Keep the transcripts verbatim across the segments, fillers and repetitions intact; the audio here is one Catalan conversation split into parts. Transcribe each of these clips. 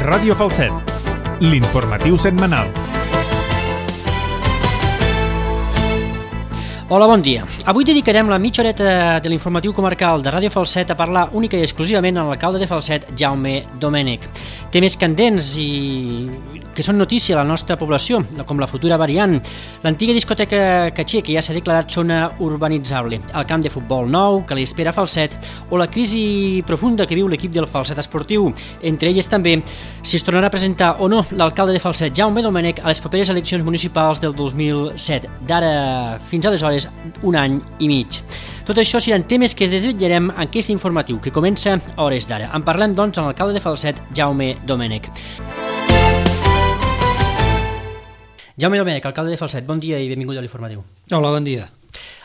Ràdio Falset, l'informatiu setmanal. Hola, bon dia. Avui dedicarem la mitja horeta de l'informatiu comarcal de Ràdio Falset a parlar única i exclusivament amb l'alcalde de Falset, Jaume Domènech. Temes candents i que són notícia a la nostra població, com la futura variant, l'antiga discoteca Caché, que ja s'ha declarat zona urbanitzable, el camp de futbol nou que li espera a Falset, o la crisi profunda que viu l'equip del Falset Esportiu. Entre elles també si es tornarà a presentar o no l'alcalde de Falset, Jaume Domènech, a les properes eleccions municipals del dos mil set. D'ara fins aleshores, un any i mig. Tot això seran temes que es desvetllarem en aquest informatiu, que comença a hores d'ara. En parlem, doncs, amb l'alcalde de Falset, Jaume Domènech. Jaume Domènech, alcalde de Falset, bon dia i benvingut a l'informatiu. Hola, bon dia.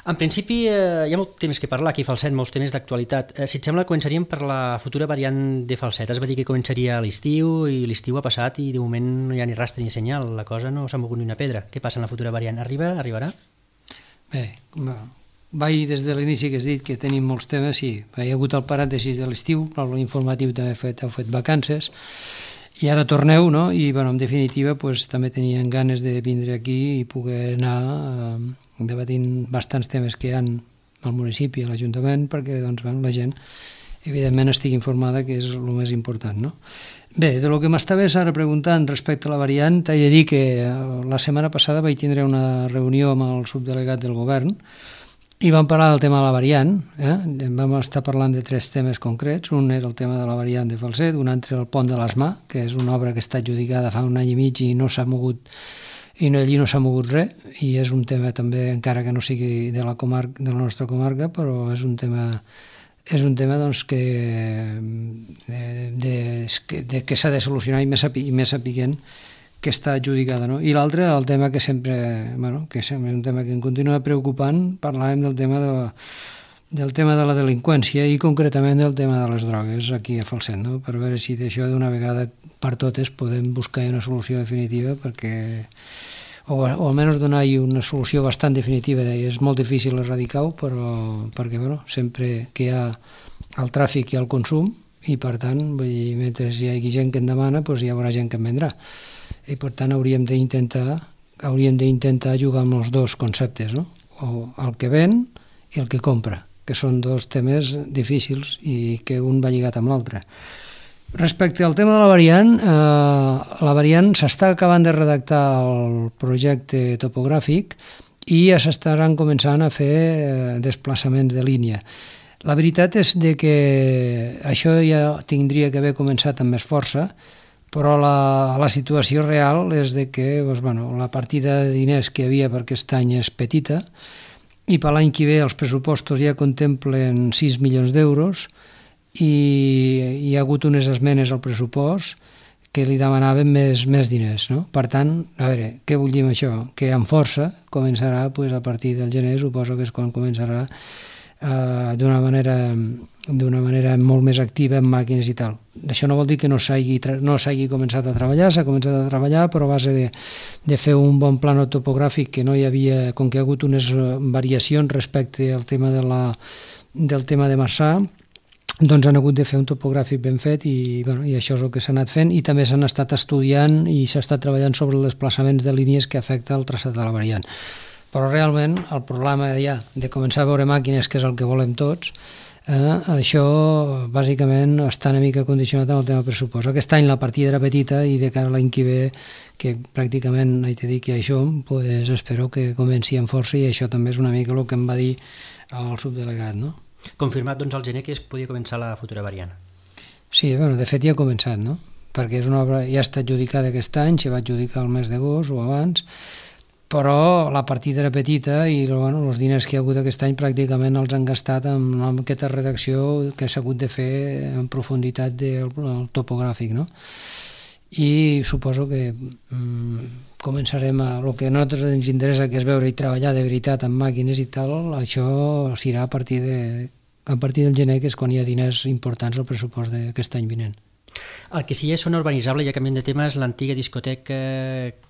En principi, eh, hi ha molts temes que parlar aquí a Falset, molts temes d'actualitat. Eh, si et sembla, començaríem per la futura variant de Falset. Es va dir que començaria a l'estiu i l'estiu ha passat i de moment no hi ha ni rastre ni senyal. La cosa no s'ha mogut ni una pedra. Què passa en la futura variant? Arriba? Arribarà? Bé, vaig des de l'inici que has dit que tenim molts temes, sí. Hi ha hagut el paràntesi de l'estiu, però l'informatiu també heu fet, heu fet vacances, i ara torneu, no? I, bueno, en definitiva, pues, també tenien ganes de vindre aquí i poder anar eh, debatint bastants temes que hi ha al municipi, a l'Ajuntament, perquè doncs, bueno, la gent, evidentment, estigui informada, que és el més important, no? Bé, de lo que m'estaves ara preguntant respecte a la variant, t'he de dir que la setmana passada vaig tindre una reunió amb el subdelegat del govern i vam parlar del tema de la variant, eh? Vam estar parlant de tres temes concrets. Un era el tema de la variant de Falset, un altre el pont de l'Asmà, que és una obra que està adjudicada fa un any i mig i no s'ha mogut i no, allí no s'ha mogut res, i és un tema també, encara que no sigui de la, comar de la nostra comarca, però és un tema és un tema doncs, que, de, de, de, que s'ha de solucionar i més, i més sapiguent que està adjudicada. No? I l'altre, el tema que sempre, bueno, que sempre és un tema que em continua preocupant, parlàvem del tema de la, del tema de la delinqüència i concretament del tema de les drogues aquí a Falset, no? Per veure si d'això d'una vegada per totes podem buscar una solució definitiva perquè o, o almenys donar-hi una solució bastant definitiva. És molt difícil erradicar-ho, però perquè bueno, sempre que hi ha el tràfic i el consum, i per tant, vull dir, mentre hi hagi gent que en demana, doncs hi haurà gent que en vendrà. I per tant hauríem d'intentar hauríem d'intentar jugar amb els dos conceptes, no? O el que ven i el que compra, que són dos temes difícils i que un va lligat amb l'altre. Respecte al tema de la variant, eh, la variant s'està acabant de redactar el projecte topogràfic i ja s'estaran començant a fer eh, desplaçaments de línia. La veritat és de que això ja tindria que haver començat amb més força, però la, la situació real és de que doncs, bueno, la partida de diners que hi havia per aquest any és petita i per l'any que ve els pressupostos ja contemplen sis milions d'euros i hi ha hagut unes esmenes al pressupost que li demanaven més, més diners. No? Per tant, a veure, què vull dir amb això? Que amb força començarà pues, a partir del gener, suposo que és quan començarà eh, d'una manera, d'una manera molt més activa en màquines i tal. Això no vol dir que no s'hagi no s'hagi començat a treballar, s'ha començat a treballar, però a base de, de fer un bon plano topogràfic que no hi havia, com que hi ha hagut unes variacions respecte al tema de la, del tema de Marçà, doncs han hagut de fer un topogràfic ben fet i, bueno, i això és el que s'ha anat fent, i també s'han estat estudiant i s'ha estat treballant sobre els desplaçaments de línies que afecta el traçat de la variant. Però realment el problema ja de començar a veure màquines, que és el que volem tots, eh, això bàsicament està una mica condicionat amb el tema pressupost. Aquest any la partida era petita i de cara a l'any que ve, que pràcticament haig de dir que això, pues, espero que comenci amb força, i això també és una mica el que em va dir el subdelegat, no? Confirmat, doncs, al gener que es podia començar la futura variant. Sí, bueno, de fet ja ha començat, no? Perquè és una obra, ja està adjudicada aquest any, s'hi va adjudicar el mes d'agost o abans, però la partida era petita i bueno, els diners que hi ha hagut aquest any pràcticament els han gastat en, en aquesta redacció que s'ha hagut de fer en profunditat del, del topogràfic, no? I suposo que mm, començarem a... El que a nosaltres ens interessa, que és veure i treballar de veritat amb màquines i tal, això serà a partir, de, a partir del gener, que és quan hi ha diners importants al pressupost d'aquest any vinent. El que sí és zona urbanitzable, ja canviant de tema, és l'antiga discoteca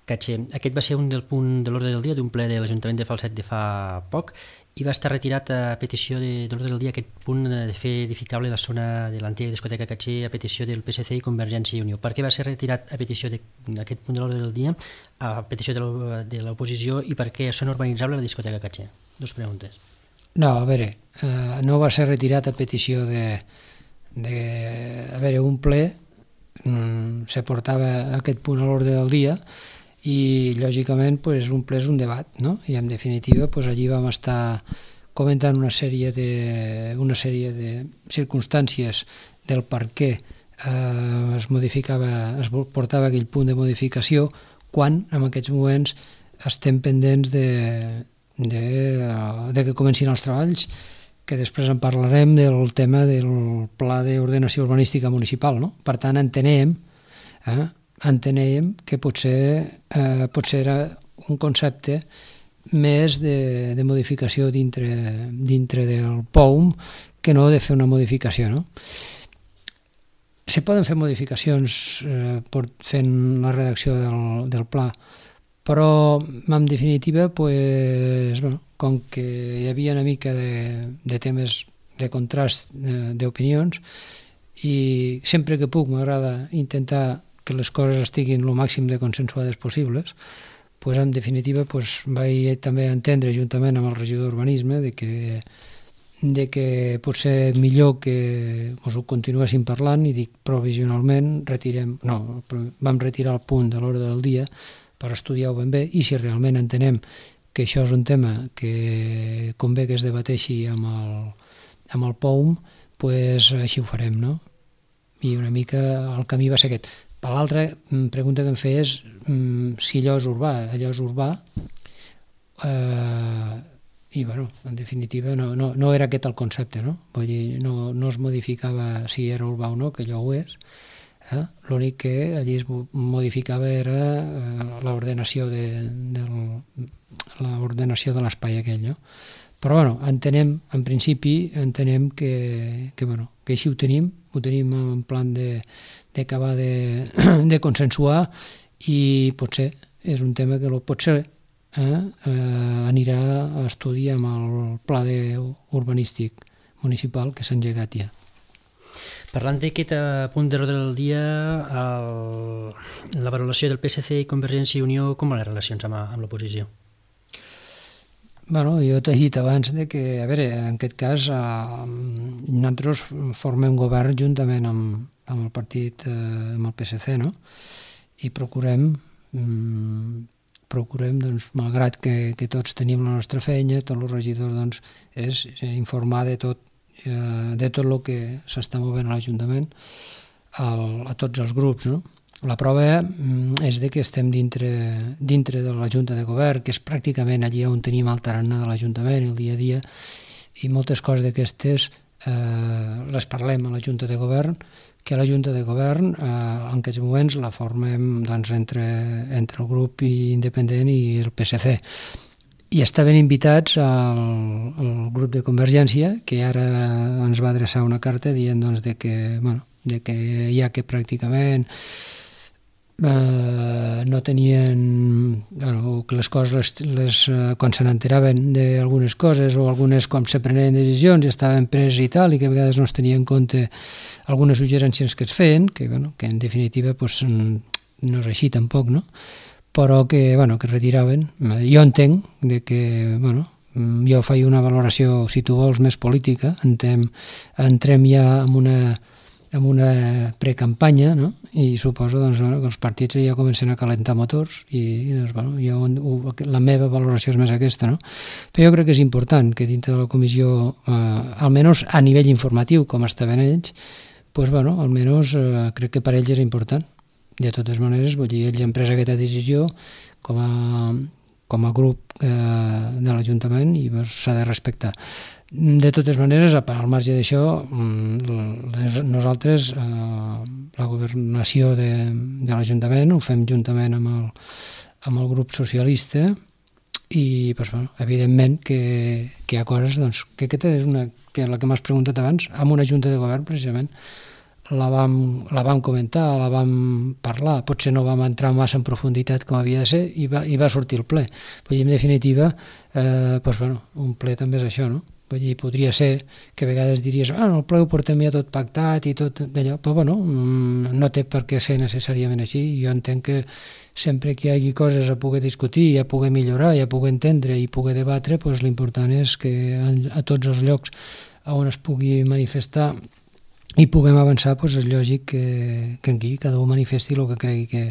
Caché. Aquest va ser un del punt de l'ordre del dia d'un ple de l'Ajuntament de Falset de fa poc i va estar retirat a petició de, de l'ordre del dia aquest punt de fer edificable la zona de l'antiga discoteca Caché a petició del P S C i Convergència i Unió. Per què va ser retirat a petició d'aquest punt de l'ordre del dia, a petició de l'oposició, i per què són urbanitzable la discoteca Caché? Dos preguntes. No, a veure, eh, no va ser retirat a petició de... de a veure, un ple mm, se portava aquest punt a l'ordre del dia i lògicament pues, un ple és un debat, no? I en definitiva pues, allí vam estar comentant una sèrie de, una sèrie de circumstàncies del per què eh, es modificava, es portava aquell punt de modificació quan en aquests moments estem pendents de, de, de que comencin els treballs, que després en parlarem del tema del pla d'ordenació urbanística municipal, no? Per tant, entenem eh, entenem que potser, eh, potser era un concepte més de, de modificació dintre, dintre del P O U M que no de fer una modificació, no? Se poden fer modificacions eh, fent la redacció del, del pla, però en definitiva, pues, bueno, com que hi havia una mica de, de temes de contrast eh, d'opinions, i sempre que puc m'agrada intentar que les coses estiguin el màxim de consensuades possibles, pues, en definitiva pues, vaig també entendre juntament amb el regidor d'Urbanisme de que, de que potser millor que us ho continuéssim parlant, i dic provisionalment retirem, no, vam retirar el punt de l'hora del dia per estudiar-ho ben bé, i si realment entenem que això és un tema que convé que es debateixi amb el, amb el P O U M, pues, així ho farem, no? I una mica el camí va ser aquest. Per l'altra pregunta que em feia és mm, si allò és urbà. Allò és urbà eh, i, bueno, en definitiva no, no, no era aquest el concepte, no? Vull dir, no, no es modificava si era urbà o no, que allò ho és. Eh? L'únic que allí es modificava era eh, l'ordenació de, de, l'ordenació de l'espai aquell, no? Però, bueno, entenem, en principi, entenem que, que, bueno, que així ho tenim, ho tenim en plan de d'acabar de, de consensuar, i potser és un tema que potser eh, eh, anirà a estudi amb el pla urbanístic municipal que s'ha engegat ja. Parlant d'aquest punt de l'ordre del dia, el, la valoració del P S C i Convergència i Unió, com van les relacions amb, amb l'oposició? Bueno, jo t'he dit abans de que, a veure, en aquest cas eh, nosaltres formem govern juntament amb, amb el partit, eh, amb el P S C, no? I procurem, mm, procurem, doncs, malgrat que, que tots tenim la nostra feina, tots els regidors, doncs, és informar de tot, eh, de tot el que s'està movent a l'Ajuntament, al, a tots els grups, no? La prova és de que estem dintre, dintre de la Junta de Govern, que és pràcticament allí on tenim el tarannà de l'Ajuntament, el dia a dia, i moltes coses d'aquestes eh, les parlem a la Junta de Govern, que la Junta de Govern eh, en aquests moments la formem doncs, entre, entre el grup independent i el P S C. I estaven invitats al, al grup de Convergència, que ara ens va adreçar una carta dient doncs, de que, bueno, de que ja que pràcticament Uh, no tenien, bueno, que les coses les, les, uh, quan se n'enteraven d'algunes coses o algunes com se prenien decisions i estaven preses i tal, i que a vegades no es tenia en compte algunes suggerències que es feien, que, bueno, que en definitiva pues, no és així tampoc, no? Però que, bueno, que retiraven. Jo entenc de que, bueno, jo faig una valoració, si tu vols, més política, entrem, entrem ja en una amb una precampanya, no? I suposo doncs, bueno, que els partits ja comencen a calentar motors i, i doncs, bueno, jo, la meva valoració és més aquesta, no? Però jo crec que és important que dintre de la comissió, eh, almenys a nivell informatiu, com estaven ells, pues, bueno, almenys eh, crec que per ells és important. De totes maneres, vull dir, ells han pres aquesta decisió com a, com a grup eh, de l'Ajuntament i pues, s'ha de respectar. De totes maneres, al marge d'això, nosaltres, eh, la governació de, de l'Ajuntament, ho fem juntament amb el, amb el grup socialista i, pues, bueno, evidentment, que, que hi ha coses, doncs, que aquesta és una, que la que m'has preguntat abans, amb una junta de govern, precisament, la vam, la vam comentar, la vam parlar, potser no vam entrar massa en profunditat com havia de ser i va, i va sortir el ple. Vull dir, en definitiva, eh, doncs, bueno, un ple també és això, no? Vull dir, podria ser que a vegades diries ah, el ple ho portem ja tot pactat i tot d'allò, però bueno, no té per què ser necessàriament així. Jo entenc que sempre que hi hagi coses a poder discutir, a poder millorar, a poder entendre i poder debatre, doncs l'important és que a tots els llocs on es pugui manifestar i puguem avançar, doncs és lògic que, que aquí cada un manifesti el que cregui que,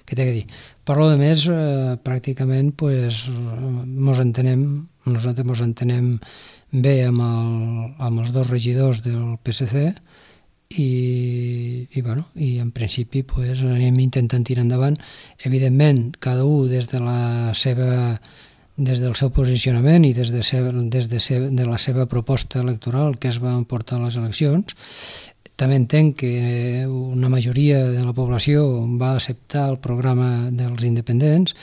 que té que dir. Per lo de més, eh, pràcticament pues, mos entenem, nosaltres mos entenem bé amb, el, amb els dos regidors del P S C i, i, bueno, i en principi pues, anem intentant tirar endavant. Evidentment, cada un des de la seva des del seu posicionament i des de, seva, des de, seva, de la seva proposta electoral que es va portar a les eleccions. També entenc que una majoria de la població va acceptar el programa dels independents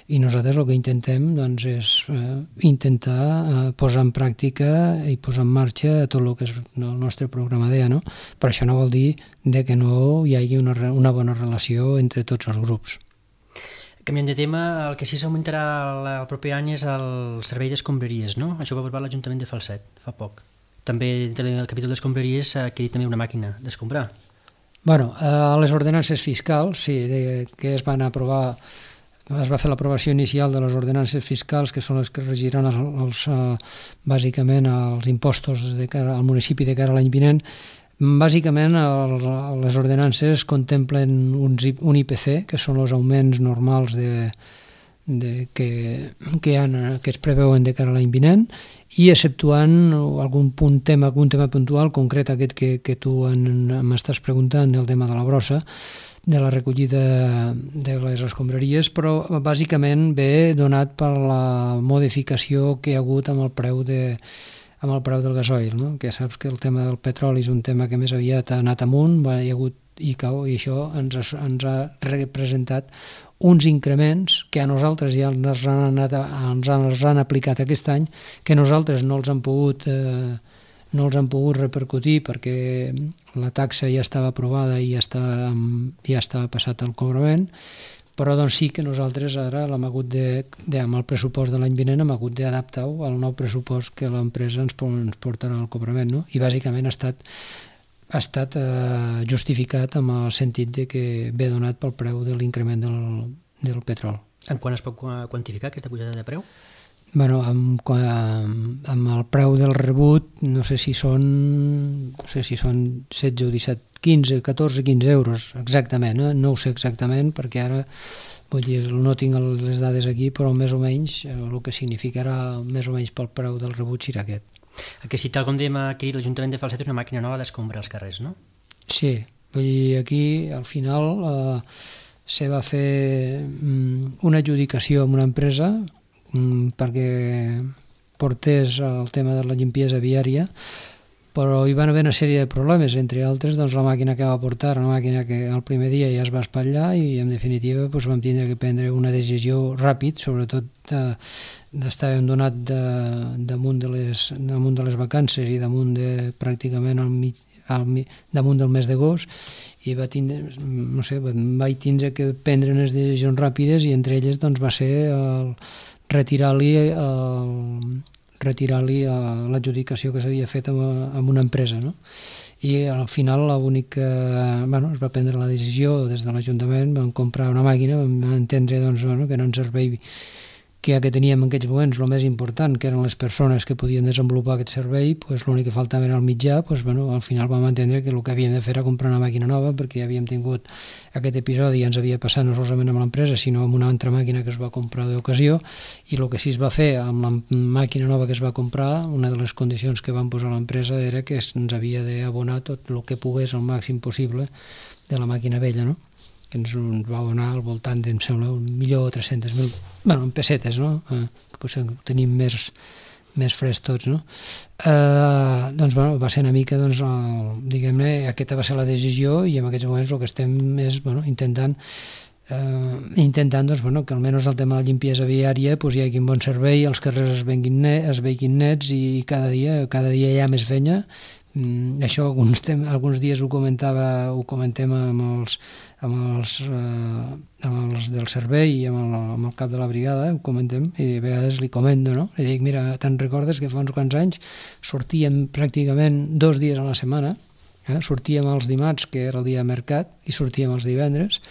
i nosaltres el que intentem doncs, és eh, intentar eh, posar en pràctica i posar en marxa tot el que és el nostre programa deia, no? Però això no vol dir de que no hi hagi una, una bona relació entre tots els grups. Canviant de tema, el que sí s'augmentarà el proper any és el servei d'escombraries, no? Això ho va aprovar l'Ajuntament de Falset fa poc. També el capítol d'escombraries ha adquirit també una màquina d'escombrar. Bueno, a les ordenances fiscals, sí, de, que es van aprovar, es va fer l'aprovació inicial de les ordenances fiscals, que són les que regiran els, els, uh, bàsicament els impostos de cara al municipi de cara a l'any vinent. Bàsicament, el, les ordenances contemplen un, un I P C, que són els augments normals de, de, que, que, han, que es preveuen de cara a l'any vinent, i exceptuant algun punt tema, algun tema puntual concret aquest que, que tu m'estàs preguntant del tema de la brossa, de la recollida de les escombraries, però bàsicament ve donat per la modificació que hi ha hagut amb el preu de amb el preu del gasoil, no? Que saps que el tema del petroli és un tema que més aviat ha anat amunt, va, hi ha hagut i cau, i això ens ha, ens ha representat uns increments que a nosaltres ja ens han, anat, ens han, ens han aplicat aquest any, que nosaltres no els han pogut, eh, no els han pogut repercutir perquè la taxa ja estava aprovada i ja estava, ja estava passat al cobrament, però doncs sí que nosaltres ara l'hem hagut de, de, amb el pressupost de l'any vinent hem hagut d'adaptar-ho al nou pressupost que l'empresa ens, ens portarà al cobrament, no? I bàsicament ha estat ha estat eh, justificat amb el sentit de que ve donat pel preu de l'increment del, del petrol. En quan es pot quantificar aquesta pujada de preu? Bueno, amb, amb, amb el preu del rebut no sé si són no sé si són setze o disset, quinze, catorze, quinze euros exactament, eh? No ho sé exactament perquè ara vull dir, no tinc les dades aquí, però més o menys el que significarà més o menys pel preu del rebut serà aquest. El que sí, tal com dèiem aquí, l'Ajuntament de Falset és una màquina nova d'escombrar els carrers, no? Sí, vull dir, aquí al final eh, se va fer mm, una adjudicació amb una empresa mm, perquè portés el tema de la limpiesa viària, però hi van haver una sèrie de problemes, entre altres doncs, la màquina que va portar, una màquina que el primer dia ja es va espatllar i en definitiva doncs, vam tindre que prendre una decisió ràpid, sobretot de, d'estàvem donat de, damunt, de les, damunt de les vacances i damunt de pràcticament al mig, al, damunt del mes d'agost i va tindre, no sé, vaig tindre que prendre unes decisions ràpides i entre elles doncs, va ser el, retirar-li el retirar-li l'adjudicació que s'havia fet amb, amb una empresa, no? I al final l'únic que bueno, es va prendre la decisió des de l'Ajuntament, vam comprar una màquina, vam entendre doncs, bueno, que no ens servei, que ja que teníem en aquests moments el més important, que eren les persones que podien desenvolupar aquest servei, pues, l'únic que faltava era el mitjà, pues, bueno, al final vam entendre que el que havíem de fer era comprar una màquina nova perquè ja havíem tingut aquest episodi i ens havia passat no solament amb l'empresa sinó amb una altra màquina que es va comprar d'ocasió i el que sí es va fer amb la màquina nova que es va comprar, una de les condicions que van posar l'empresa era que ens havia d'abonar tot el que pogués al màxim possible de la màquina vella, no? Que ens va donar al voltant de, em sembla, un milió tres-cents mil, bueno, en pessetes, no? Eh, que potser tenim més, més fresc tots, no? Eh, doncs, bueno, va ser una mica, doncs, el, diguem-ne, aquesta va ser la decisió i en aquests moments el que estem és, bueno, intentant eh, intentant, doncs, bueno, que almenys el tema de la limpiesa viària pues, hi hagi un bon servei, els carrers es veguin, net, es veguin nets i cada dia, cada dia hi ha més feina Mm, això alguns, tem, alguns dies ho comentava, ho comentem amb els, amb els, eh, amb els del servei i amb el, amb el cap de la brigada, ho comentem, i a vegades li comento, no? Li dic, mira, te'n recordes que fa uns quants anys sortíem pràcticament dos dies a la setmana, eh? Sortíem els dimarts, que era el dia de mercat, i sortíem els divendres,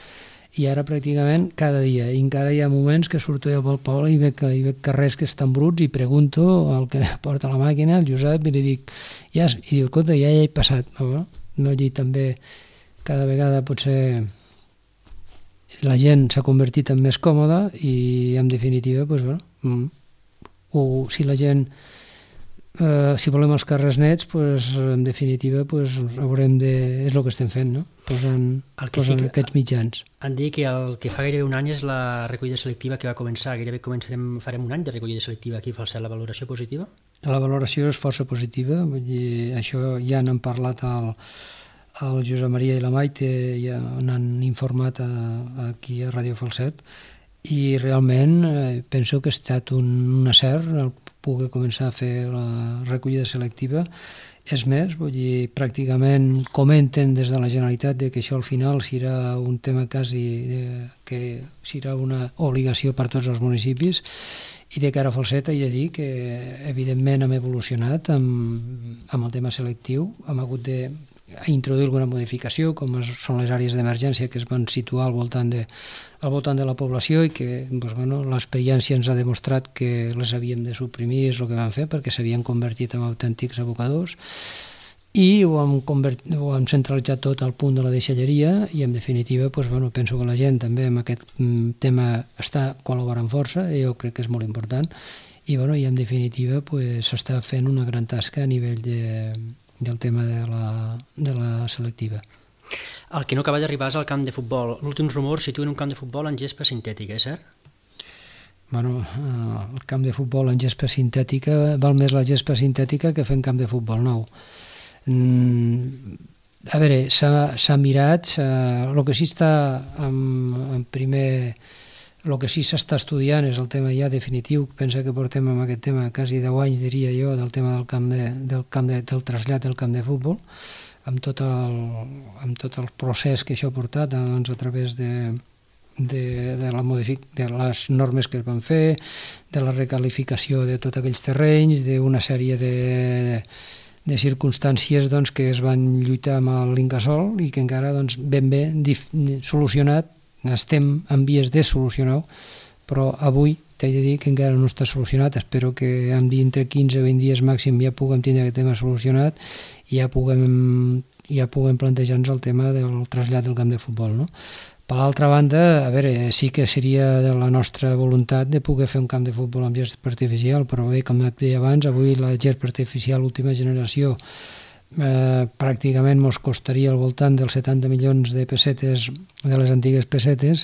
i ara pràcticament cada dia, i encara hi ha moments que surto jo pel poble i veig, i veig carrers que estan bruts i pregunto al que porta la màquina, el Josep, i li dic, ja, i diu, escolta, ja hi he passat, no? No, allí també cada vegada potser la gent s'ha convertit en més còmoda i en definitiva, doncs, bueno, o si la gent Uh, si volem els carrers nets, pues, en definitiva pues, haurem de... és el que estem fent, no? Posant, posant sí aquests mitjans. Han dit que el que fa gairebé un any és la recollida selectiva que va començar. Gairebé començarem, farem un any de recollida selectiva aquí a Falset. La valoració positiva? La valoració és força positiva. Vull dir, això ja n'han parlat al, al Josep Maria i la Maite, ja n'han informat a, aquí a Ràdio Falset, i realment eh, penso que ha estat un, un acert el poder començar a fer la recollida selectiva. És més, vull dir, pràcticament comenten des de la Generalitat de que això al final serà un tema quasi de, que serà una obligació per tots els municipis, i de cara a Falset he de dir que evidentment hem evolucionat amb, amb el tema selectiu, hem hagut de introduir alguna modificació, com són les àrees d'emergència que es van situar al voltant de, al voltant de la població, i que doncs, bueno, l'experiència ens ha demostrat que les havíem de suprimir, és el que vam fer, perquè s'havien convertit en autèntics abocadors, i ho hem, convertit, ho hem centralitzat tot al punt de la deixalleria, i en definitiva doncs, bueno, penso que la gent també amb aquest tema està col·laborant força, i jo crec que és molt important, i, bueno, i en definitiva s'està pues, fent una gran tasca a nivell de del tema de la, de la selectiva. El que no acaba d'arribar és al camp de futbol. L'últims rumors situen un camp de futbol en gespa sintètica, és cert? Bueno, el camp de futbol en gespa sintètica, val més la gespa sintètica que fer un camp de futbol nou. Mm, a veure, s'ha mirat, el que sí està en, en primer... El que sí s'està estudiant és el tema ja definitiu. Pensa que portem amb aquest tema quasi deu anys, diria jo, del tema del camp de, del, camp de, del trasllat del camp de futbol, amb tot el, amb tot el procés que això ha portat, doncs, a través de, de, de, la modific, de les normes que es van fer, de la recalificació de tots aquells terrenys, d'una sèrie de, de circumstàncies doncs, que es van lluitar amb l'Incasòl i que encara doncs, ben bé dif, solucionat. Estem en vies de solucionar-ho, però avui t'he de dir que encara no està solucionat. Espero que entre quinze o vint dies màxim ja puguem tindre aquest tema solucionat i ja puguem, ja puguem plantejar-nos el tema del trasllat del camp de futbol, no? Per l'altra banda, a veure, sí que seria de la nostra voluntat de poder fer un camp de futbol amb gespa artificial, però bé, com et deia abans, avui la gespa artificial última generació Eh, pràcticament ens costaria al voltant dels setanta milions de pessetes de les antigues pessetes,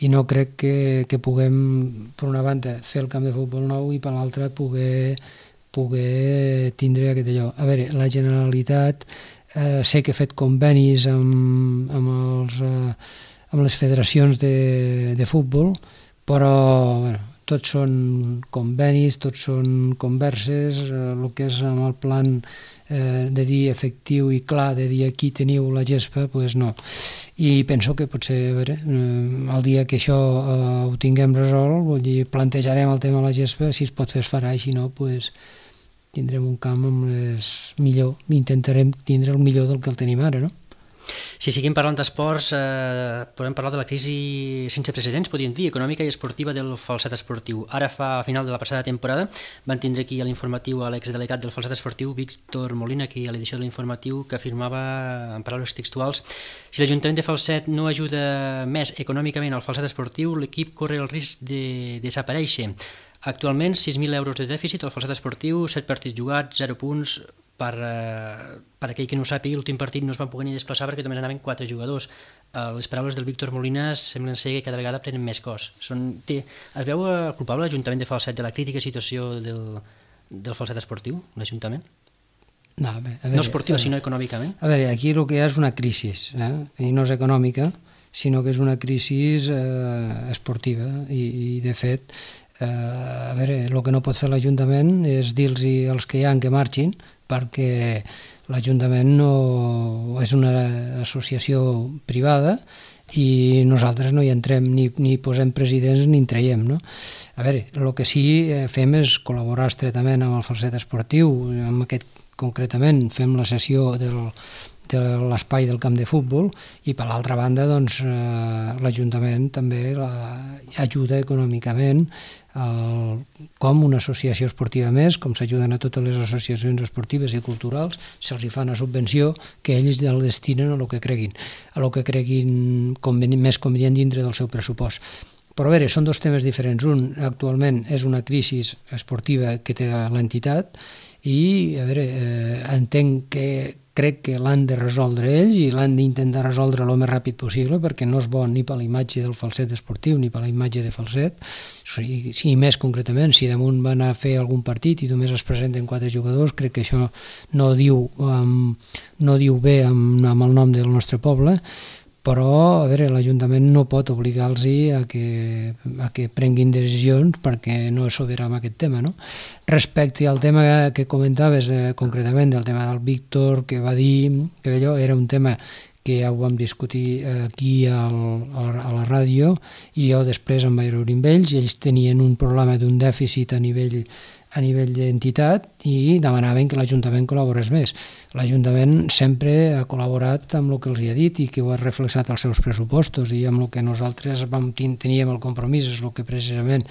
i no crec que, que puguem, per una banda, fer el camp de futbol nou i per l'altra poder, poder tindre aquest allò. A veure, la Generalitat eh, sé que ha fet convenis amb, amb, els, eh, amb les federacions de, de futbol, però bueno, tots són convenis, tots són converses, eh, el que és amb el plan eh, de dir efectiu i clar, de dir aquí teniu la gespa, doncs pues no. I penso que potser, a veure, eh, el dia que això eh, ho tinguem resolt, vull dir, plantejarem el tema de la gespa, si es pot fer es farà, i si no, doncs pues, tindrem un camp amb les millor, intentarem tindre el millor del que el tenim ara, no? Si seguim parlant d'esports, eh, podem parlar de la crisi sense precedents, podríem dir, econòmica i esportiva del Falset Esportiu. Ara, fa a final de la passada temporada, van tindre aquí a l'informatiu a l'exdelegat del Falset Esportiu, Víctor Molina, aquí a l'edició de l'informatiu, que afirmava, en paraules textuals, si l'Ajuntament de Falset no ajuda més econòmicament al Falset Esportiu, l'equip corre el risc de desaparèixer. Actualment, sis mil euros de dèficit al Falset Esportiu, set partits jugats, zero punts. Per, eh, per aquell que no ho sàpiga, l'últim partit no es van poder ni desplaçar perquè només anaven quatre jugadors. Eh, les paraules del Víctor Molina semblen ser que cada vegada prenen més cos. Són, té, es veu eh, culpable l'Ajuntament de Falset de la crítica situació del, del Falset Esportiu, l'Ajuntament? No, a veure, no esportiva, a veure, sinó econòmicament. A veure, aquí el que hi ha és una crisi, eh? I no és econòmica, sinó que és una crisi eh, esportiva, i, i de fet, eh, a veure, el que no pot fer l'Ajuntament és dir-los als que hi ha que marxin, perquè l'Ajuntament no és una associació privada i nosaltres no hi entrem ni, ni posem presidents ni en traiem, no? A veure, el que sí fem és col·laborar estretament amb el Falset Esportiu, amb aquest concretament fem la sessió del, de l'espai del camp de futbol i per l'altra banda doncs, eh, l'Ajuntament també la, ajuda econòmicament el, com una associació esportiva més, com s'ajuden a totes les associacions esportives i culturals, se'ls hi fa una subvenció que ells el destinen a el que creguin, a el que creguin conveni, més convenient dintre del seu pressupost. Però a veure, són dos temes diferents. Un, actualment, és una crisi esportiva que té l'entitat i, a veure, eh, entenc que crec que l'han de resoldre ells i l'han d'intentar resoldre el més ràpid possible perquè no és bo ni per la imatge del Falset esportiu ni per la imatge de Falset. I, i més concretament, si damunt van a fer algun partit i només es presenten quatre jugadors, crec que això no diu, um, no diu bé amb, amb el nom del nostre poble, però a veure, l'Ajuntament no pot obligar-los a que, a que prenguin decisions perquè no és sobirà en aquest tema, no? Respecte al tema que comentaves eh, concretament, del tema del Víctor, que va dir que allò era un tema que ja ho vam discutir aquí al, a la ràdio i jo després em vaig reunir amb ells i ells tenien un problema d'un dèficit a nivell a nivell d'entitat i demanaven que l'Ajuntament col·laborés més. L'Ajuntament sempre ha col·laborat amb el que els hi ha dit i que ho ha reflexat als seus pressupostos i amb el que nosaltres vam, teníem el compromís, és el que precisament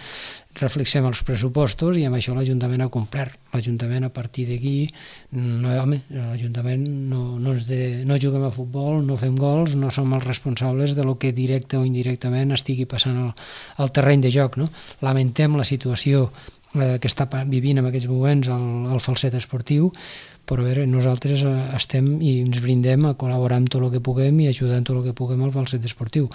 reflexem els pressupostos i amb això l'Ajuntament ha complert. L'Ajuntament a partir d'aquí, no, home, l'Ajuntament no, no, és de, no juguem a futbol, no fem gols, no som els responsables de lo que directe o indirectament estigui passant al, al terreny de joc, no? Lamentem la situació que està vivint en aquests moments el, el Falset esportiu, però a veure, nosaltres estem i ens brindem a col·laborar amb tot el que puguem i ajudar en tot el que puguem al Falset esportiu.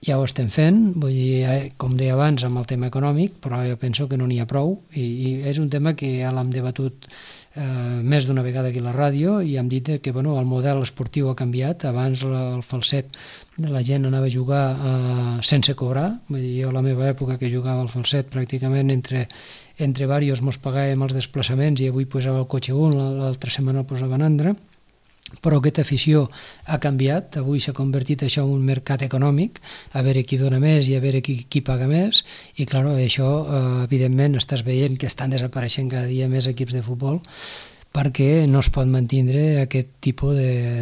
Ja ho estem fent, vull dir, com deia abans, amb el tema econòmic, però jo penso que no n'hi ha prou i, i és un tema que ja l'hem debatut eh, més d'una vegada aquí a la ràdio i hem dit que bueno, el model esportiu ha canviat. Abans el Falset la gent anava a jugar eh, sense cobrar, vull dir, jo a la meva època que jugava al Falset pràcticament entre entre diversos mos pagàvem els desplaçaments i avui posava el cotxe un, l'altra setmana el posaven altre, però aquesta afició ha canviat, avui s'ha convertit això en un mercat econòmic, a veure qui dona més i a veure qui, qui paga més, i clar, això eh, evidentment estàs veient que estan desapareixent cada dia més equips de futbol, perquè no es pot mantindre aquest tipus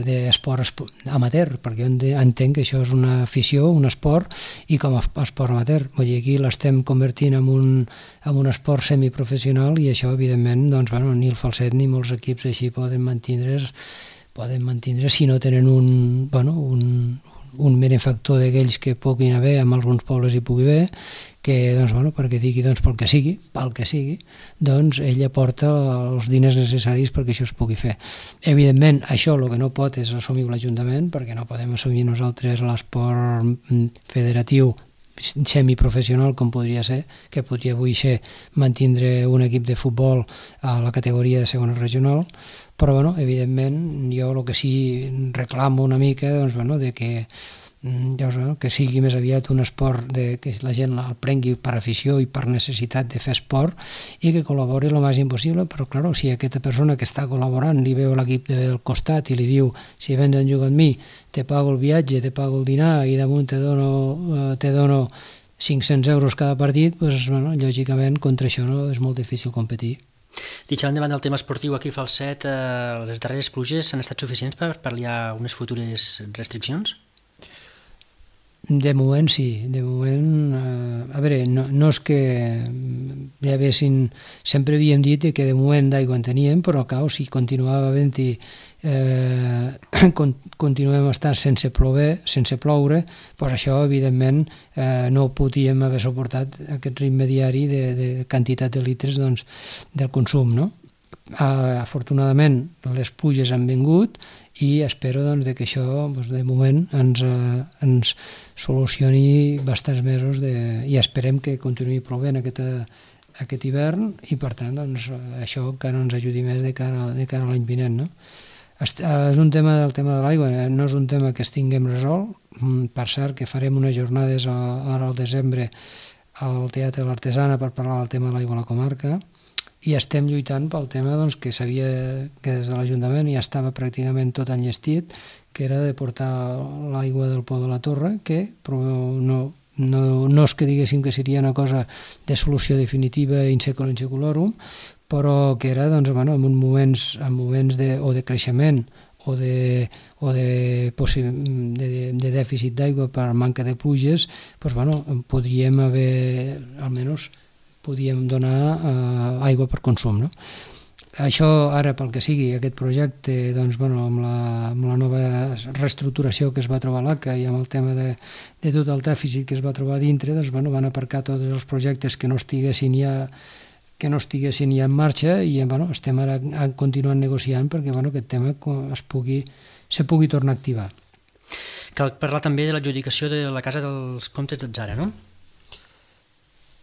d'esport de, amateur, perquè jo entenc que això és una afició, un esport, i com a esport amateur. Vull dir, aquí l'estem convertint en un, en un esport semiprofessional i això, evidentment, doncs, bueno, ni el Falset ni molts equips així poden mantindre's, poden mantindre si no tenen un, bueno, un, un benefactor d'aquells que puguin haver, amb alguns pobles hi pugui haver, que doncs, bueno, perquè digui doncs, pel que sigui, pel que sigui, doncs ell aporta els diners necessaris perquè això es pugui fer. Evidentment, això el que no pot és assumir l'Ajuntament, perquè no podem assumir nosaltres l'esport federatiu semiprofessional com podria ser, que podria avui ser mantindre un equip de futbol a la categoria de segona regional, però bueno, evidentment jo el que sí reclamo una mica doncs, bueno, de que ja us, que sigui més aviat un esport de, que la gent el prengui per afició i per necessitat de fer esport i que col·labori el màxim possible, però clar, si aquesta persona que està col·laborant li veu l'equip del costat i li diu si vens a jugar amb mi te pago el viatge, te pago el dinar i damunt te dono, te dono cinc-cents euros cada partit, doncs, bueno, lògicament contra això no, és molt difícil competir. Deixant davant del tema esportiu aquí a Falset, eh, les darreres pluges han estat suficients per pal·liar unes futures restriccions? De moment sí, de moment, eh, a veure, no, no és que ja haguessin, sempre havíem dit que de moment d'aigua en teníem, però clar, si continuava havent-hi, eh, con, continuem estant sense ploure, sense ploure, doncs això evidentment eh, no podíem haver suportat aquest ritme diari de, de quantitat de litres doncs, del consum, no? Uh, afortunadament les pluges han vingut i espero doncs, que això doncs, de moment ens, uh, ens solucioni bastants mesos de... i esperem que continuï plovent aquest, aquest hivern i per tant doncs, això encara ens ajudi més de cara, de cara a l'any vinent, no? Est, uh, és un tema del tema de l'aigua, no és un tema que estiguem resolt. Mm, per cert que farem unes jornades a, ara al desembre al Teatre de l'Artesana per parlar del tema de l'aigua a la comarca i estem lluitant pel tema doncs, que sabia que des de l'Ajuntament ja estava pràcticament tot enllestit, que era de portar l'aigua del Pou de la Torre, que però no, no, no és que diguéssim que seria una cosa de solució definitiva in seculum in seculorum, però que era doncs, bueno, en moments, en moments de, o de creixement o de, o de, de, de dèficit d'aigua per manca de pluges, doncs, bueno, podríem haver, almenys, podíem donar eh, aigua per consum. No? Això, ara, pel que sigui, aquest projecte, doncs, bueno, amb, la, amb la nova reestructuració que es va trobar a l'A C A i amb el tema de, de tot el dèficit que es va trobar dintre, doncs, bueno, van aparcar tots els projectes que no estiguessin ja que no estiguessin ja en marxa i bueno, estem ara continuant negociant perquè bueno, aquest tema es pugui, se pugui tornar a activar. Cal parlar també de l'adjudicació de la Casa dels Comtes d'Atzara, no?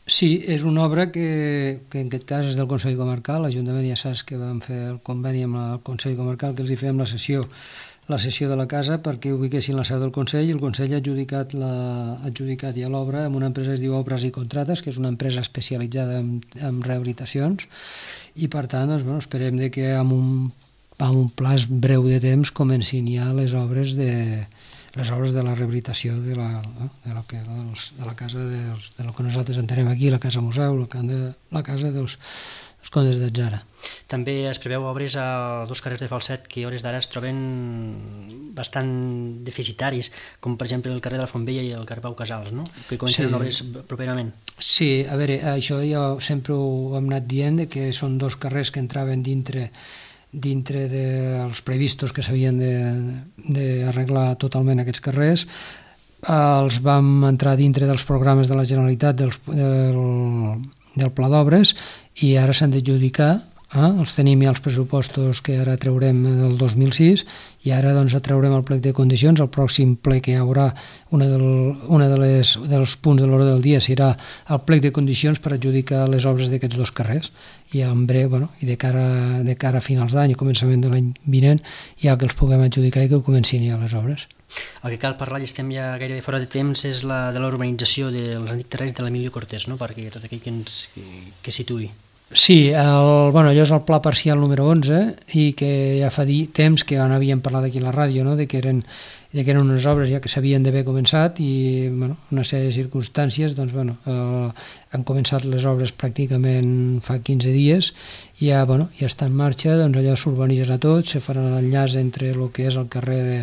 Sí, és una obra que, que en aquest cas és del Consell Comarcal. L'Ajuntament ja saps que vam fer el conveni amb el Consell Comarcal que els hi fèiem la sessió, la sessió de la casa perquè ubiquessin la seu del Consell i el Consell ha adjudicat, la, ha adjudicat ja l'obra amb una empresa que es diu Obres i Contrates, que és una empresa especialitzada en, en rehabilitacions i per tant doncs, bueno, esperem de que amb un, amb un plaç breu de temps comencin ja les obres de les obres de la rehabilitació de la, de la, de la casa dels, de lo que nosaltres entenem aquí, la casa museu, la, la casa dels, dels Comtes d'Atzara. També es preveu obres a dos carrers de Falset que a hores d'ara es troben bastant deficitaris, com per exemple el carrer de la Fontvella i el carrer Pau Casals, no? Que comencen sí. obres properament. Sí, a veure, això ja sempre ho hem anat dient, que són dos carrers que entraven dintre dintre dels previstos que s'havien d'arreglar totalment aquests carrers. Els vam entrar dintre dels programes de la Generalitat dels, del, del Pla d'Obres i ara s'han d'adjudicar. Eh? Els tenim ja els pressupostos que ara traurem del dos mil sis i ara doncs traurem el plec de condicions. El pròxim ple que hi haurà, una, del, una de les, dels punts de l'ordre del dia serà el plec de condicions per adjudicar les obres d'aquests dos carrers i en breu, bueno, i de cara, de cara a finals d'any i començament de l'any vinent ja que els puguem adjudicar i que comencin ja les obres. El que cal parlar, i estem ja gairebé fora de temps, és la de l'urbanització dels antics terrenys de l'Emilio Cortés, no? Perquè tot aquell que ens que, que situï. Sí, el, bueno, allò és el pla parcial número onze i que ja fa dir temps que en havíem parlat aquí a la ràdio, no? de, que eren, de que eren unes obres ja que s'havien d'haver començat i bueno, una sèrie de circumstàncies doncs, bueno, eh, han començat les obres pràcticament fa quinze dies i ja, bueno, ja està en marxa, doncs allò s'urbanitzarà tot, se farà l'enllaç entre el que és el carrer de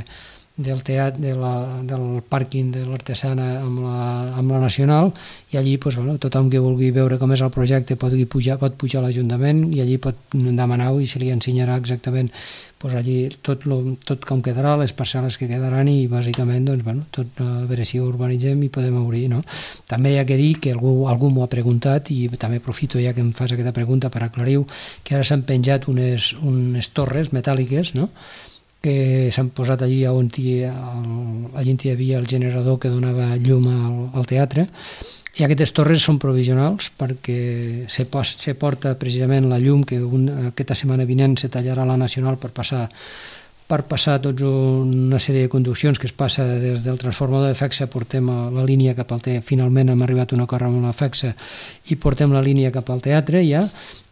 del teatre, de la, del pàrquing de l'Artesana amb la, amb la Nacional i allí doncs, bueno, tothom que vulgui veure com és el projecte pot pujar, pot pujar a l'Ajuntament i allí pot demanar-ho i se li ensenyarà exactament doncs, allí tot, lo, tot com quedarà, les parcel·les que quedaran i bàsicament doncs, bueno, tot, a veure si ho urbanitzem i podem obrir. No? També hi ha que dir que algú, algú m'ho ha preguntat i també aprofito ja que em fas aquesta pregunta per aclarir-ho, que ara s'han penjat unes, unes torres metàl·liques, no? que s'han posat allí on hi, allí hi havia el generador que donava llum al, al teatre i aquestes torres són provisionals perquè se, se porta precisament la llum que un, aquesta setmana vinent se tallarà la Nacional per passar per passar tots una sèrie de conduccions que es passa des del transformador de Fexa, portem la línia cap al teatre, finalment hem arribat a un acord amb la Fexa i portem la línia cap al teatre ja,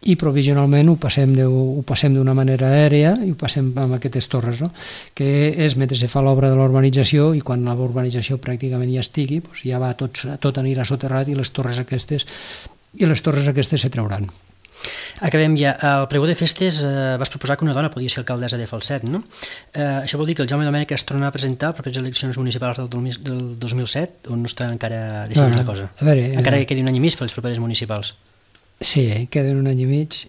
i provisionalment ho passem de, ho passem d'una manera aèrea i ho passem amb aquestes torres, no? que és mentre se fa l'obra de l'urbanització i quan la urbanització pràcticament ja estigui, doncs ja va tot, tot anirà soterrat i les torres aquestes i les torres aquestes se trauran. Acabem ja. Al pregó de festes eh, vas proposar que una dona podia ser alcaldessa de Falset, no? Eh, això vol dir que el Jaume Domènech es torna a presentar a les properes eleccions municipals del, del dos mil set o no està encara decidit no, no. la cosa? A veure, encara eh... quedi un any i mig per les properes municipals. Sí, eh, queden un any i mig.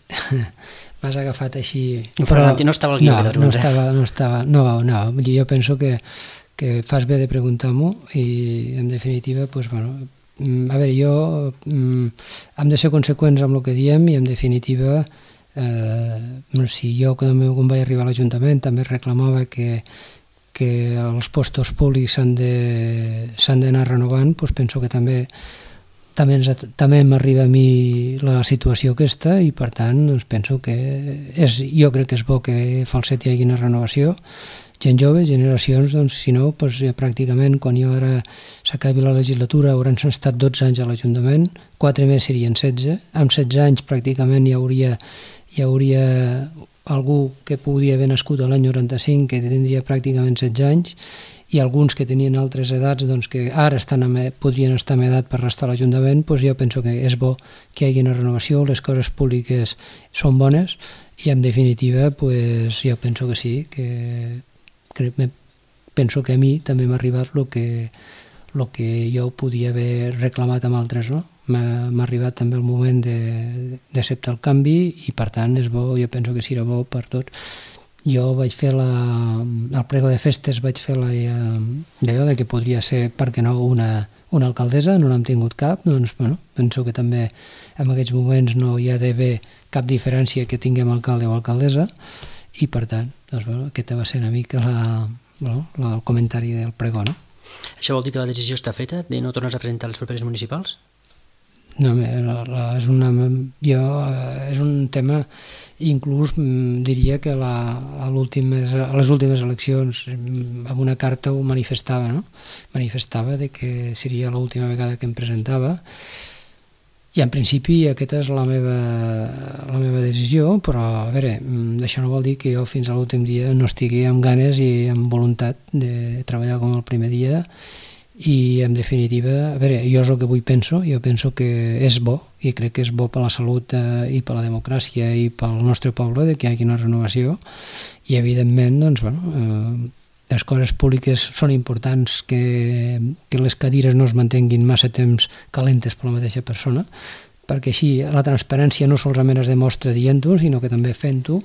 M'has agafat així... No, però no estava al guió. No, no estava, no estava... No, no, jo penso que, que fas bé de preguntar-m'ho i en definitiva, doncs, bueno... A veure, jo mm, hem de ser conseqüents amb el que diem i en definitiva eh, si jo quan vaig arribar a l'Ajuntament també reclamava que, que els postos públics s'han d'anar renovant, doncs penso que també també, ens, també m'arriba a mi la situació aquesta i per tant doncs penso que és, jo crec que és bo que a Falset hi hagi una renovació gent jove, generacions, doncs, si no, doncs, ja pràcticament quan jo ara s'acabi la legislatura hauran estat dotze anys a l'Ajuntament, quatre més serien setze, amb setze anys pràcticament hi hauria, hi hauria algú que podria haver nascut a l'any noranta-cinc, que tindria pràcticament setze anys, i alguns que tenien altres edats doncs, que ara estan amb, podrien estar amb edat per restar a l'Ajuntament, doncs jo penso que és bo que hi hagi una renovació, les coses públiques són bones i en definitiva doncs, jo penso que sí, que, que penso que a mi també m'ha arribat el que, el que jo podia haver reclamat amb altres, no? M'ha arribat també el moment d'acceptar el canvi i per tant és bo, jo penso que serà bo per tots. Jo vaig fer la, al prego de festes vaig fer la, d'allò de que podria ser, per què no, una, una alcaldessa, no n'hem tingut cap, doncs bueno, penso que també en aquests moments no hi ha d'haver cap diferència que tinguem alcalde o alcaldessa i per tant, doncs bueno, aquesta va ser una mica la, bueno, la, el comentari del pregó, no? Això vol dir que la decisió està feta de no tornar a presentar les properes municipals? No, la, la, és, una, jo, és un tema, inclús diria que la, a, a les últimes eleccions amb una carta ho manifestava, no? Manifestava de que seria l'última vegada que em presentava i en principi aquesta és la meva, la meva decisió, però a veure, això no vol dir que jo fins a l'últim dia no estigui amb ganes i amb voluntat de treballar com el primer dia i en definitiva, a veure, jo és el que avui penso, jo penso que és bo i crec que és bo per la salut eh, i per la democràcia i pel nostre poble de que hi hagi una renovació i evidentment doncs, bueno, eh, les coses públiques són importants que, que les cadires no es mantenguin massa temps calentes per la mateixa persona perquè així la transparència no solament es demostra dient-ho sinó que també fent-ho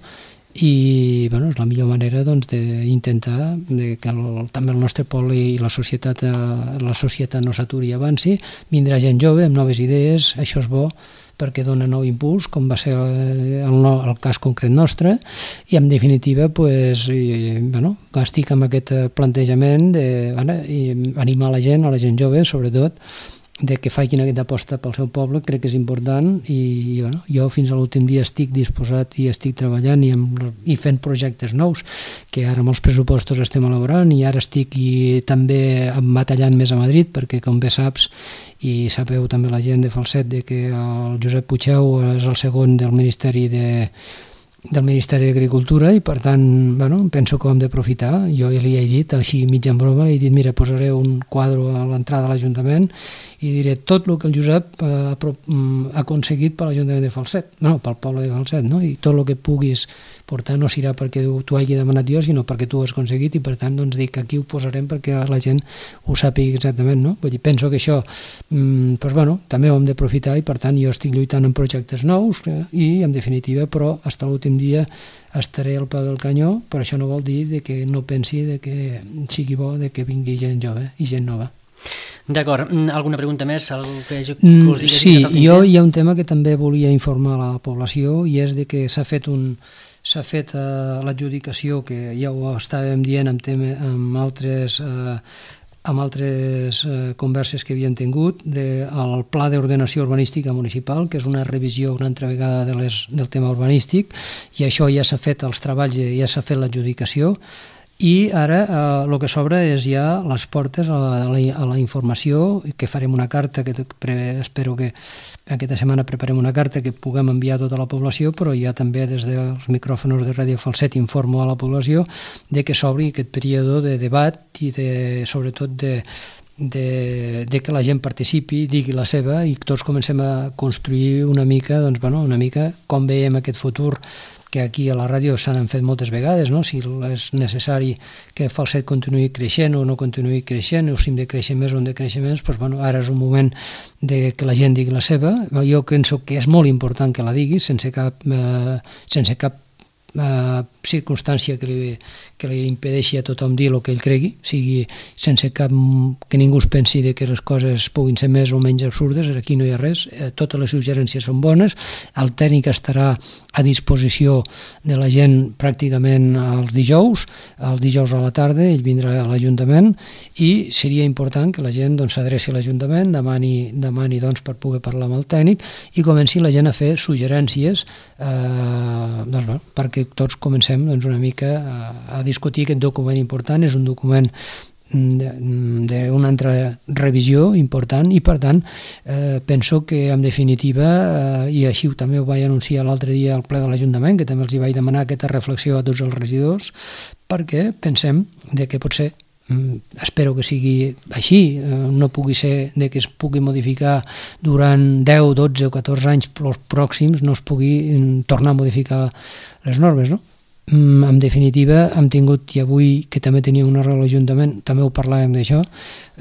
i bueno, és la millor manera doncs, d'intentar que el, també el nostre poble i la societat, la societat no s'aturi i avanci, vindrà gent jove amb noves idees, això és bo perquè dona nou impuls, com va ser el, el, el cas concret nostre, i en definitiva pues, i, bueno, estic amb aquest plantejament d'animar la gent, a la gent jove sobretot, de que facin aquesta aposta pel seu poble, crec que és important i bueno, jo fins a l'últim dia estic disposat i estic treballant i, amb, i fent projectes nous que ara amb els pressupostos estem elaborant i ara estic i també batallant més a Madrid perquè com bé saps i sabeu també la gent de Falset de que el Josep Puigdeu és el segon del Ministeri de del Ministeri d'Agricultura i per tant bueno, penso que ho hem d'aprofitar. Jo li he dit, així mig en broma, li he dit mira, posaré un quadre a l'entrada de l'Ajuntament i diré tot el que el Josep ha, ha aconseguit per l'Ajuntament de Falset, no, pel poble de Falset, no? I tot el que puguis portar no serà perquè tu hagi demanat jo, sinó perquè tu ho has aconseguit i per tant doncs dic que aquí ho posarem perquè la gent ho sàpiga exactament, no? Vull dir, penso que això doncs, bueno, també ho hem d'aprofitar i per tant jo estic lluitant en projectes nous i en definitiva però fins a l'últim dia estaré al peu del canyó, però això no vol dir de que no pensi de que sigui bo de que vingui gent jove i gent nova. D'acord, alguna pregunta més? Algú que us digués, sí, jo hi ha un tema que també volia informar a la població i és de que s'ha fet un s'ha fet uh, l'adjudicació que ja ho estàvem dient amb, tema, amb altres uh, amb altres eh, converses que havíem tingut del Pla d'Ordenació Urbanística Municipal, que és una revisió una altra vegada de les, del tema urbanístic, i això ja s'ha fet els treballs, ja s'ha fet l'adjudicació, i ara eh, el que s'obre és ja les portes a la, a la, a la informació, que farem una carta, que pre, espero que aquesta setmana preparem una carta que puguem enviar a tota la població, però ja també des dels micròfons de Ràdio Falset informo a la població de que s'obri aquest període de debat i de, sobretot de, de, de que la gent participi, digui la seva i tots comencem a construir una mica, doncs, bueno, una mica com veiem aquest futur que aquí a la ràdio s'han fet moltes vegades, no? Si és necessari que Falset continuï creixent o no continuï creixent, o si hem de créixer més o hem de créixer més, doncs, bueno, ara és un moment de que la gent digui la seva. Jo penso que és molt important que la digui, sense cap, eh, sense cap eh, circumstància que li, que li impedeixi a tothom dir el que ell cregui, sigui sense cap que ningú es pensi de que les coses puguin ser més o menys absurdes, aquí no hi ha res, eh, totes les suggerències són bones, el tècnic estarà a disposició de la gent pràcticament els dijous, els dijous a la tarda, ell vindrà a l'Ajuntament i seria important que la gent doncs, s'adreci a l'Ajuntament, demani, demani doncs, per poder parlar amb el tècnic i comenci la gent a fer suggerències eh, doncs, bueno, perquè que tots comencem doncs, una mica a, a discutir aquest document important. És un document d'una altra revisió important i per tant eh, penso que en definitiva eh, i així també ho vaig anunciar l'altre dia al ple de l'Ajuntament, que també els hi vaig demanar aquesta reflexió a tots els regidors, perquè pensem de que potser espero que sigui així, no pugui ser de que es pugui modificar durant deu, dotze o catorze anys pròxims, no es pugui tornar a modificar les normes, no? En definitiva, hem tingut, i avui que també teníem una reunió a l'Ajuntament, també ho parlàvem d'això,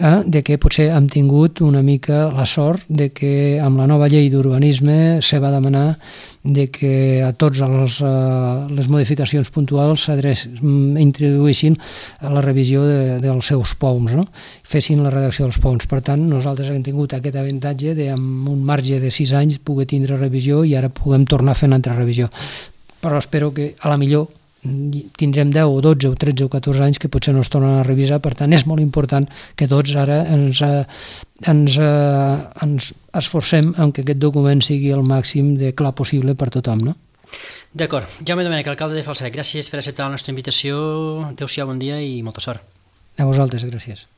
eh, de que potser hem tingut una mica la sort de que amb la nova llei d'urbanisme se va demanar de que a tots els, eh, les modificacions puntuals introduïssin la revisió de, dels seus P O Ms, no? Fessin la redacció dels P O Ms. Per tant, nosaltres hem tingut aquest avantatge de, amb un marge de sis anys, poder tindre revisió i ara puguem tornar a fer una altra revisió. Però espero que a la millor tindrem deu o dotze o tretze o catorze anys que potser no es tornen a revisar. Per tant, és molt important que tots ara ens, ens, ens esforcem en que aquest document sigui el màxim de clar possible per tothom, no? D'acord. Jaume Domènech, alcalde de Falset, gràcies per acceptar la nostra invitació. Adéu-siau, bon dia i molta sort. A vosaltres, gràcies.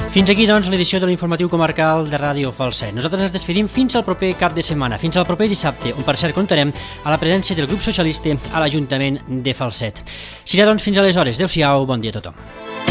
Fins aquí, doncs, l'edició de l'informatiu comarcal de Ràdio Falset. Nosaltres ens despedim fins al proper cap de setmana, fins al proper dissabte, on per cert comptarem a la presència del grup socialista a l'Ajuntament de Falset. Serà, doncs, fins aleshores. Adéu-siau, bon dia a tothom.